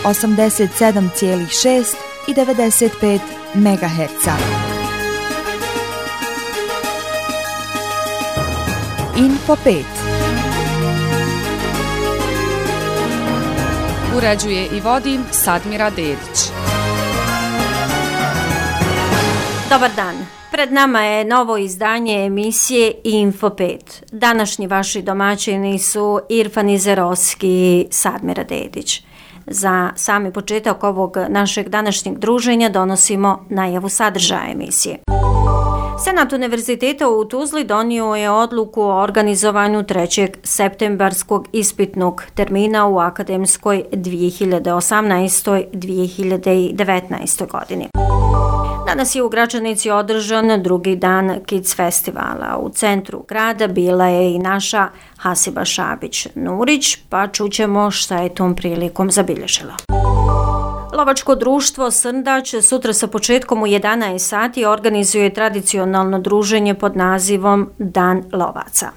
87,6 i 95 MHz. Info 5. Uređuje i vodi Sadmira Dedić. Dobar dan. Pred nama je novo izdanje emisije Info 5. Današnji vaši domaćini su Irfan Izerovski i Sadmira Dedić. Za sami početak ovog našeg današnjeg druženja donosimo najavu sadržaja emisije. Senat Univerziteta u Tuzli donio je odluku o organizovanju 3. septembarskog ispitnog termina u akademskoj 2018-2019. godini. Danas je u Gračanici održan drugi dan Kids festivala. U centru grada bila je i naša Hasiba Šabić-Nurić, pa čućemo šta je tom prilikom zabilježila. Lovačko društvo Srndać sutra sa početkom u 11 sati organizuje tradicionalno druženje pod nazivom Dan lovaca.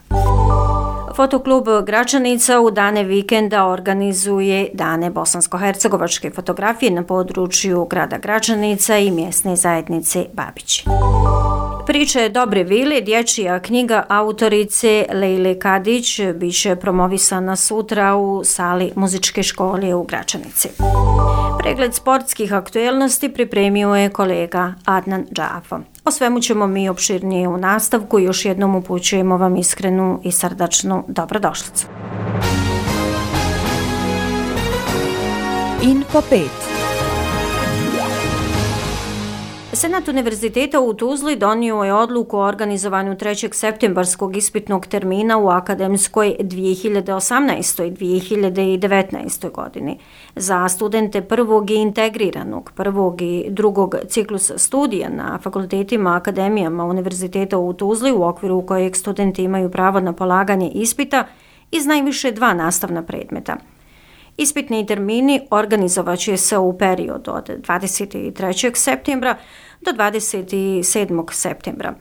Fotoklub Gračanica u dane vikenda organizuje dane bosansko-hercegovačke fotografije na području grada Gračanica i mjesne zajednice Babići. Priče Dobre vile, dječja knjiga autorice Lejle Kadić, biće promovisana sutra u sali muzičke škole u Gračanici. Pregled sportskih aktuelnosti pripremio je kolega Adnan Džafo. O svemu ćemo mi opširnije u nastavku i još jednom upućujemo vam iskrenu i srdačnu dobrodošlicu. Info 5. Senat Univerziteta u Tuzli donio je odluku o organizovanju 3. septembarskog ispitnog termina u akademskoj 2018. i 2019. godini. Za studente prvog i integriranog, prvog i drugog ciklusa studija na fakultetima, akademijama Univerziteta u Tuzli, u okviru kojeg studenti imaju pravo na polaganje ispita iz najviše 2 nastavna predmeta. Ispitni termini organizovat će se u periodu od 23. septembra do 27. septembra.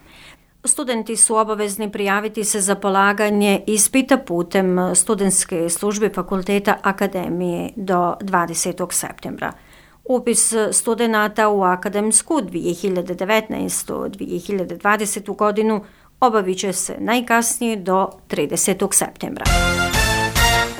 Studenti su obavezni prijaviti se za polaganje ispita putem studentske službe fakulteta akademije do 20. septembra. Upis studenata u akademsku 2019-2020. godinu obavit će se najkasnije do 30. septembra.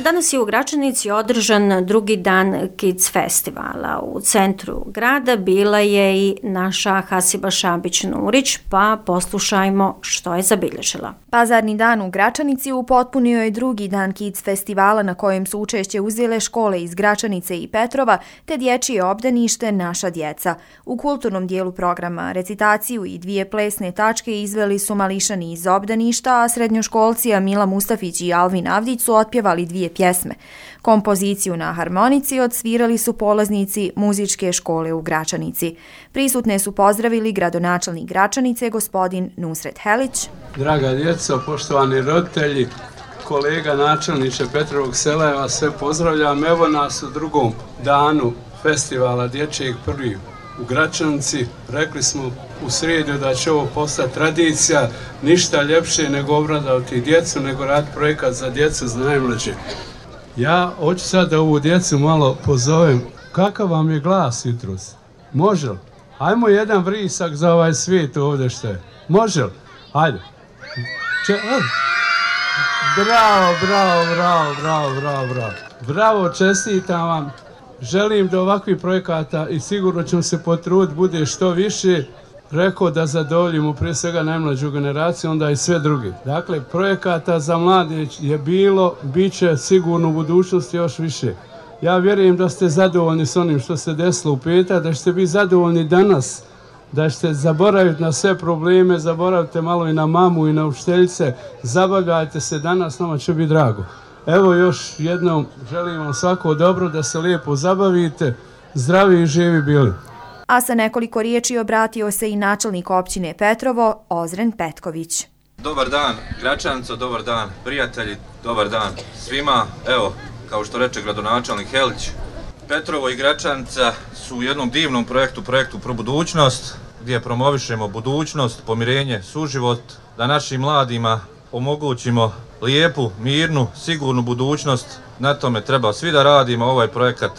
Danas je u Gračanici održan drugi dan Kids festivala. U centru grada bila je i naša Hasiba Šabić-Nurić, pa poslušajmo što je zabilježila. Pazarni dan u Gračanici upotpunio je drugi dan Kids festivala na kojem su učešće uzele škole iz Gračanice i Petrova te dječje obdanište Naša djeca. U kulturnom dijelu programa recitaciju i 2 plesne tačke izveli su mališani iz obdaništa, a srednjoškolci Mila Mustafić i Alvin Avdić su otpjevali 2 pjesme. Kompoziciju na harmonici odsvirali su polaznici muzičke škole u Gračanici. Prisutne su pozdravili gradonačelnik Gračanice, gospodin Nusret Helić. Draga djeco, poštovani roditelji, kolega načelniče Petrovog sela, ja vas sve pozdravljam. Evo nas u drugom danu festivala dječjeg prvi u Gračanici. Rekli smo u srijedu da će ovo postati tradicija, ništa ljepše nego obradovati djecu, nego raditi projekat za djecu, za najmlađe. Ja hoću sad da ovu djecu malo pozovem. Kakav vam je glas jutros? Može li? Ajmo jedan vrisak za ovaj svijet ovdje što je. Može li? Ajde. Bravo. Bravo, čestitam vam. Želim da ovakvih projekata i sigurno ćemo se potruditi bude što više. Rekao da zadovoljimo prije svega najmlađu generaciju, onda i sve druge. Dakle, projekata za mlade je bilo, bit će sigurno u budućnosti još više. Ja vjerujem da ste zadovoljni s onim što se desilo u petak, da ćete biti zadovoljni danas, da ćete zaboraviti na sve probleme, zaboravite malo i na mamu i na učiteljice, zabavljajte se danas, nama će biti drago. Evo još jednom želim vam svako dobro, da se lijepo zabavite, zdravi i živi bili. A sa nekoliko riječi obratio se i načelnik općine Petrovo, Ozren Petković. Dobar dan Gračanico, dobar dan prijatelji, dobar dan svima. Evo, kao što reče gradonačelnik Helić, Petrovo i Gračanica su u jednom divnom projektu Pro budućnost, gdje promovišemo budućnost, pomirenje, suživot, da našim mladima omogućimo lijepu, mirnu, sigurnu budućnost. Na tome treba svi da radimo. Ovaj projekat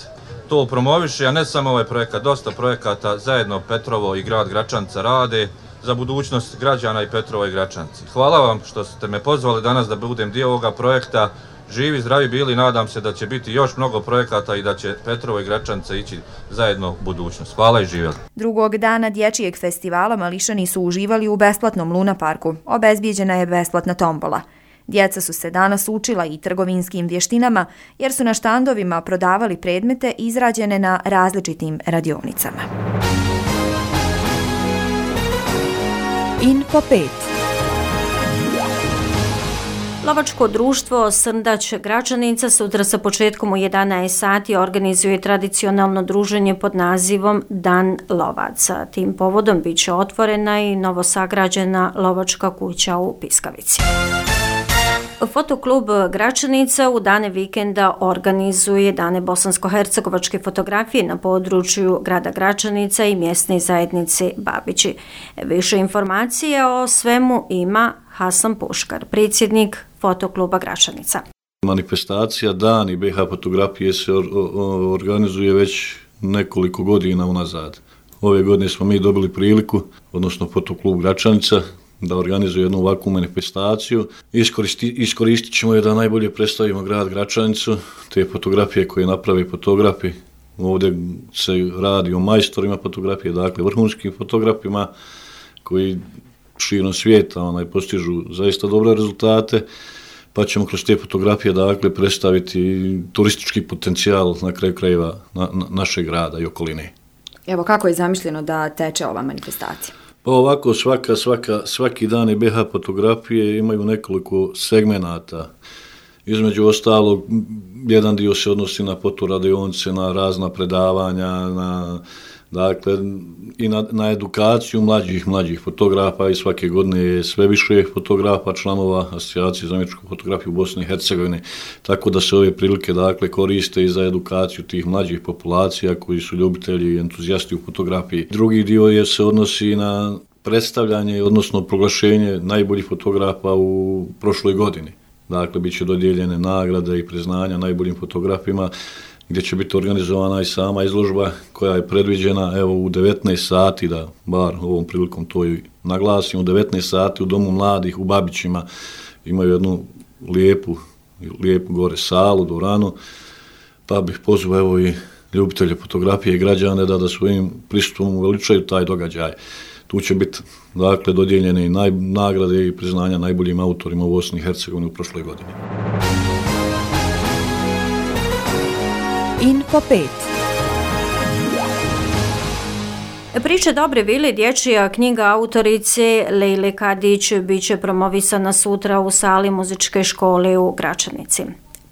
to promoviše, a ne samo ovaj projekat, dosta projekata zajedno Petrovo i grad Gračanca rade za budućnost građana i Petrova i Gračanci. Hvala vam što ste me pozvali danas da budem dio ovoga projekta. Živi, zdravi bili, nadam se da će biti još mnogo projekata i da će Petrovo i Gračance ići zajedno u budućnost. Hvala i živjeli. Drugog dana dječjeg festivala mališani su uživali u besplatnom Luna parku. Obezbijeđena je besplatna tombola. Djeca su se danas učila i trgovinskim vještinama jer su na štandovima prodavali predmete izrađene na različitim radionicama. Info 5. Lovačko društvo Srndać Gračanica sutra sa početkom u 11 sati organizuje tradicionalno druženje pod nazivom Dan lovaca. Tim povodom bit će otvorena i novosagrađena lovačka kuća u Piskavici. Fotoklub Gračanica u dane vikenda organizuje dane bosansko-hercegovačke fotografije na području grada Gračanica i mjesne zajednice Babići. Više informacija o svemu ima Hasan Puškar, predsjednik Fotokluba Gračanica. Manifestacija Dani BiH fotografije se organizuje već nekoliko godina unazad. Ove godine smo mi dobili priliku, odnosno Fotoklub Gračanica, da organizuje jednu ovakvu manifestaciju. Iskoristit ćemo je da najbolje predstavimo grad Gračanicu, te fotografije koje naprave fotografi. Ovdje se radi o majstorima fotografije, dakle vrhunskim fotografima koji širom svijeta postižu zaista dobre rezultate, pa ćemo kroz te fotografije dakle predstaviti turistički potencijal na kraju krajeva našeg grada i okoline. Evo, kako je zamišljeno da teče ova manifestacija? Pa ovako, svaki dan BiH fotografije imaju nekoliko segmenata. Između ostalog, jedan dio se odnosi na fotoradionice, na razna predavanja, na edukaciju mlađih fotografa i svake godine je sve više fotografa, članova Asocijacije za umjetničku fotografiju u Bosni i Hercegovini, tako da se ove prilike koriste i za edukaciju tih mlađih populacija koji su ljubitelji i entuzijasti u fotografiji. Drugi dio se odnosi na predstavljanje, odnosno proglašenje najboljih fotografa u prošloj godini. Dakle, bit će dodijeljene nagrade i priznanja najboljim fotografima, gdje će biti organizovana i sama izložba koja je predviđena u 19 sati, da bar ovom prilikom to i naglasim, u 19 sati u Domu mladih u Babićima imaju jednu lijepu gore salu, dvoranu, pa bih pozvao i ljubitelje fotografije i građane da svojim pristupom uveličaju taj događaj. Tu će biti dodijeljene i nagrade i priznanja najboljim autorima u Bosni i Hercegovini u prošloj godini. Info 5. Priče dobre vile, dječja knjiga autorice Lejle Kadić bit će promovisana sutra u sali muzičke škole u Gračanici.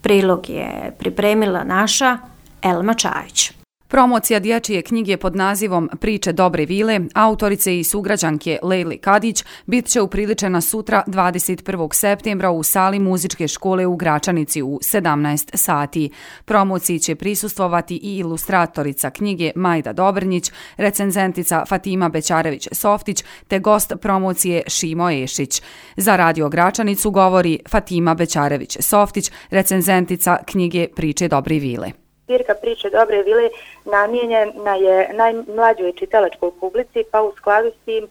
Prilog je pripremila naša Elma Čajić. Promocija dječje knjige pod nazivom Priče dobre vile autorice i sugrađanke Lejle Kadić bit će upriličena sutra 21. septembra u sali muzičke škole u Gračanici u 17 sati. Promociji će prisustvovati i ilustratorica knjige Majda Dobrnjić, recenzentica Fatima Bećarević-Softić te gost promocije Šimo Ešić. Za Radio Gračanicu govori Fatima Bećarević-Softić, recenzentica knjige Priče dobre vile. Zbirka Priče dobre vile namijenjena je najmlađoj čitalačkoj publici, pa u skladu s tim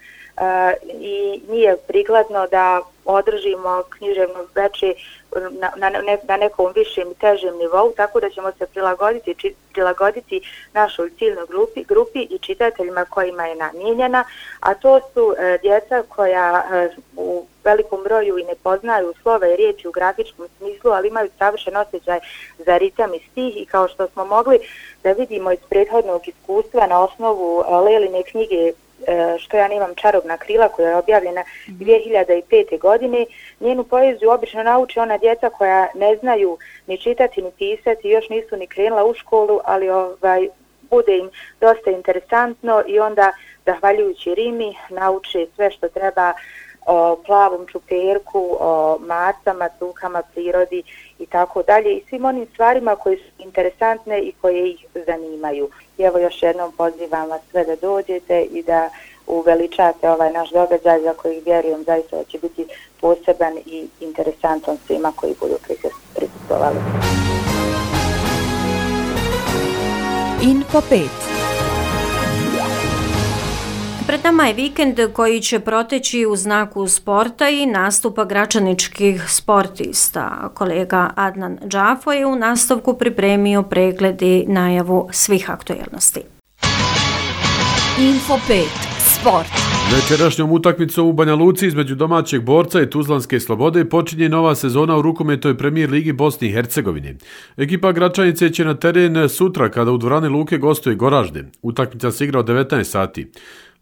i nije prikladno da održimo književno veče na nekom višem i težem nivou, tako da ćemo se prilagoditi našoj ciljnoj grupi i čitateljima kojima je namijenjena, a to su djeca koja u velikom broju i ne poznaju slova i riječi u grafičkom smislu, ali imaju savršen osjećaj za ritam i stih, i kao što smo mogli da vidimo iz prethodnog iskustva na osnovu Leline knjige Što ja nemam čarobna krila, koja je objavljena 2005. godine, njenu poeziju obično nauči ona djeca koja ne znaju ni čitati ni pisati, još nisu ni krenula u školu, ali bude im dosta interesantno i onda, zahvaljujući rimi, nauče sve što treba o plavom čuperku, o macama, cukama, prirodi i tako dalje, i svim onim stvarima koje su interesantne i koje ih zanimaju. I evo, još jednom pozivam vas sve da dođete i da uveličate ovaj naš događaj, za koji vjerujem zaista da će biti poseban i interesantan svima koji budu prisustvovali. Info 5. Pred nama je vikend koji će proteći u znaku sporta i nastupa gračaničkih sportista. Kolega Adnan Džafo je u nastavku pripremio pregled i najavu svih aktuelnosti. Info 5. Sport. Večerašnjom utakmicom u Banja Luci između domaćeg Borca i Tuzlanske Slobode počinje nova sezona u rukometnoj premijer ligi Bosne i Hercegovine. Ekipa Gračanice će na teren sutra kada u dvorani Luke gostuje Goražde. Utakmica se igra od 19 sati.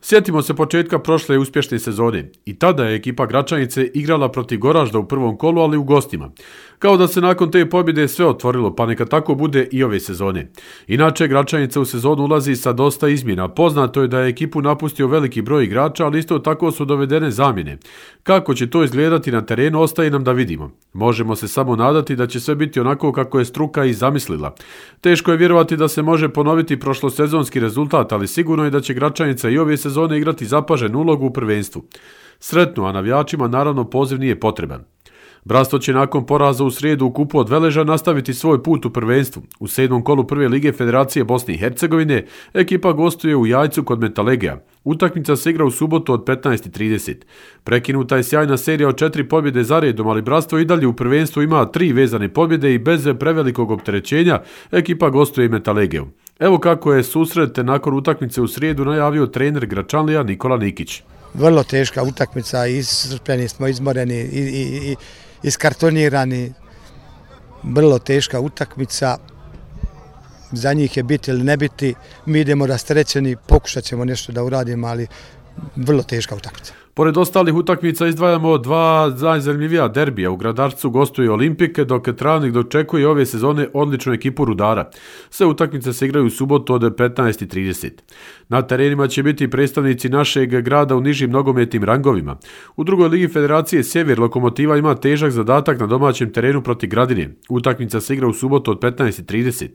Sjetimo se početka prošle uspješne sezone. I tada je ekipa Gračanice igrala protiv Goražda u prvom kolu, ali u gostima. Kao da se nakon te pobjede sve otvorilo, pa neka tako bude i ove sezone. Inače, Gračanica u sezonu ulazi sa dosta izmjena. Poznato je da je ekipu napustio veliki broj igrača, ali isto tako su dovedene zamjene. Kako će to izgledati na terenu, ostaje nam da vidimo. Možemo se samo nadati da će sve biti onako kako je struka i zamislila. Teško je vjerovati da se može ponoviti prošlosezonski rezultat, ali sigurno je da će Gračanica i ove sezone igrati zapaženu ulogu u prvenstvu. Sretno, a navijačima naravno poziv nije potreban. Bratstvo će nakon poraza u srijedu u kupu od Veleža nastaviti svoj put u prvenstvu. U 7. kolu prve lige Federacije Bosne i Hercegovine ekipa gostuje u Jajcu kod Metalegija. Utakmica se igra u subotu od 15:30. Prekinuta je sjajna serija od 4 pobjede za redom, ali bratstvo i dalje u prvenstvu ima 3 vezane pobjede i bez prevelikog opterećenja ekipa gostuje i Metalegiju. Evo kako je susret nakon utakmice u srijedu najavio trener Gračanlija Nikola Nikić. Vrlo teška utakmica, iscrpljeni smo, izmoreni i iskartonirani. Vrlo teška utakmica, za njih je biti ili ne biti. Mi idemo rasterećeni, pokušat ćemo nešto da uradimo, ali vrlo teška utakmica. Pored ostalih utakmica izdvajamo 2 najzanimljivija derbija. U Gradarcu gostuje Olimpike, dok Travnik dočekuje ove sezone odličnu ekipu Rudara. Sve utakmice se igraju u subotu od 15:30. Na terenima će biti predstavnici našeg grada u nižim nogometnim rangovima. U drugoj ligi Federacije Sjever Lokomotiva ima težak zadatak na domaćem terenu protiv Gradine. Utakmica se igra u subotu od 15:30.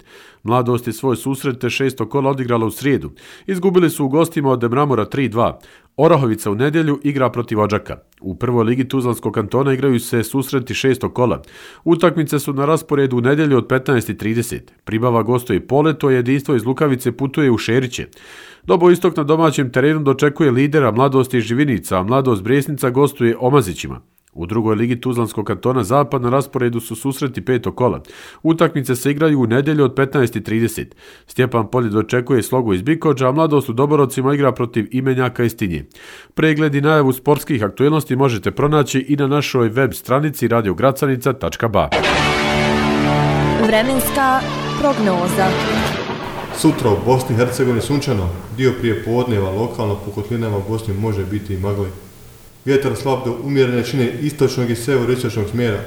Mladost je svoj susret 6. kola odigrala u srijedu. Izgubili su u gostima od Mramora 3:2. Orahovica u nedjelju igra protiv Odžaka. U prvoj ligi Tuzlanskog kantona igraju se susreti 6. kola. Utakmice su na rasporedu u nedjelju od 15:30. Pribava gostuje Poleto, jedinstvo iz Lukavice putuje u Šeriće. Dobo Istok na domaćem terenu dočekuje lidera Mladost iz Živinica, a Mladost Bresnica gostuje Omazićima. U drugoj ligi Tuzlanskog kantona Zapad na rasporedu su susreti 5. kola. Utakmice se igraju u nedjelju od 15:30. Stjepan Polje dočekuje Slogu iz Bikođa, a Mladost u Doborovcima igra protiv Imenjaka iz Tinje. Pregled i najavu sportskih aktuelnosti možete pronaći i na našoj web stranici radiogracanica.ba. Vremenska prognoza. Sutra u Bosni i Hercegovini sunčano, dio prije podneva lokalno po kotlinama u Bosni može biti i magle. Vjetar slab do umjerene jačine istočnog i severoistočnog smjera.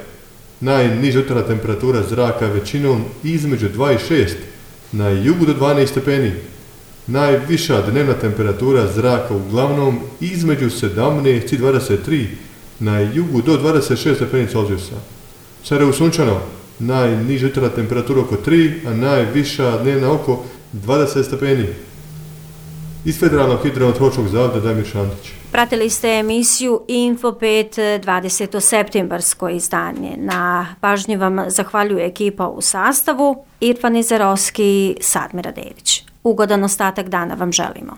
Najniža jutarnja temperatura zraka većinom između 2 i 6, na jugu do 12 stepeni. Najviša dnevna temperatura zraka uglavnom između 17 i 23, na jugu do 26 stepeni Celzijusa. Sarajevo sunčano, najniža jutarnja temperatura oko 3, a najviša dnevna oko 20 stepeni. Iz Federalnog hidrometeorološkog zavoda Damir Šantić. Pratili ste emisiju Info 5 20. septembarsko izdanje. Na pažnji vam zahvaljuje ekipa u sastavu Irfan Izerovski i Sadmira Dedić. Ugodan ostatak dana vam želimo.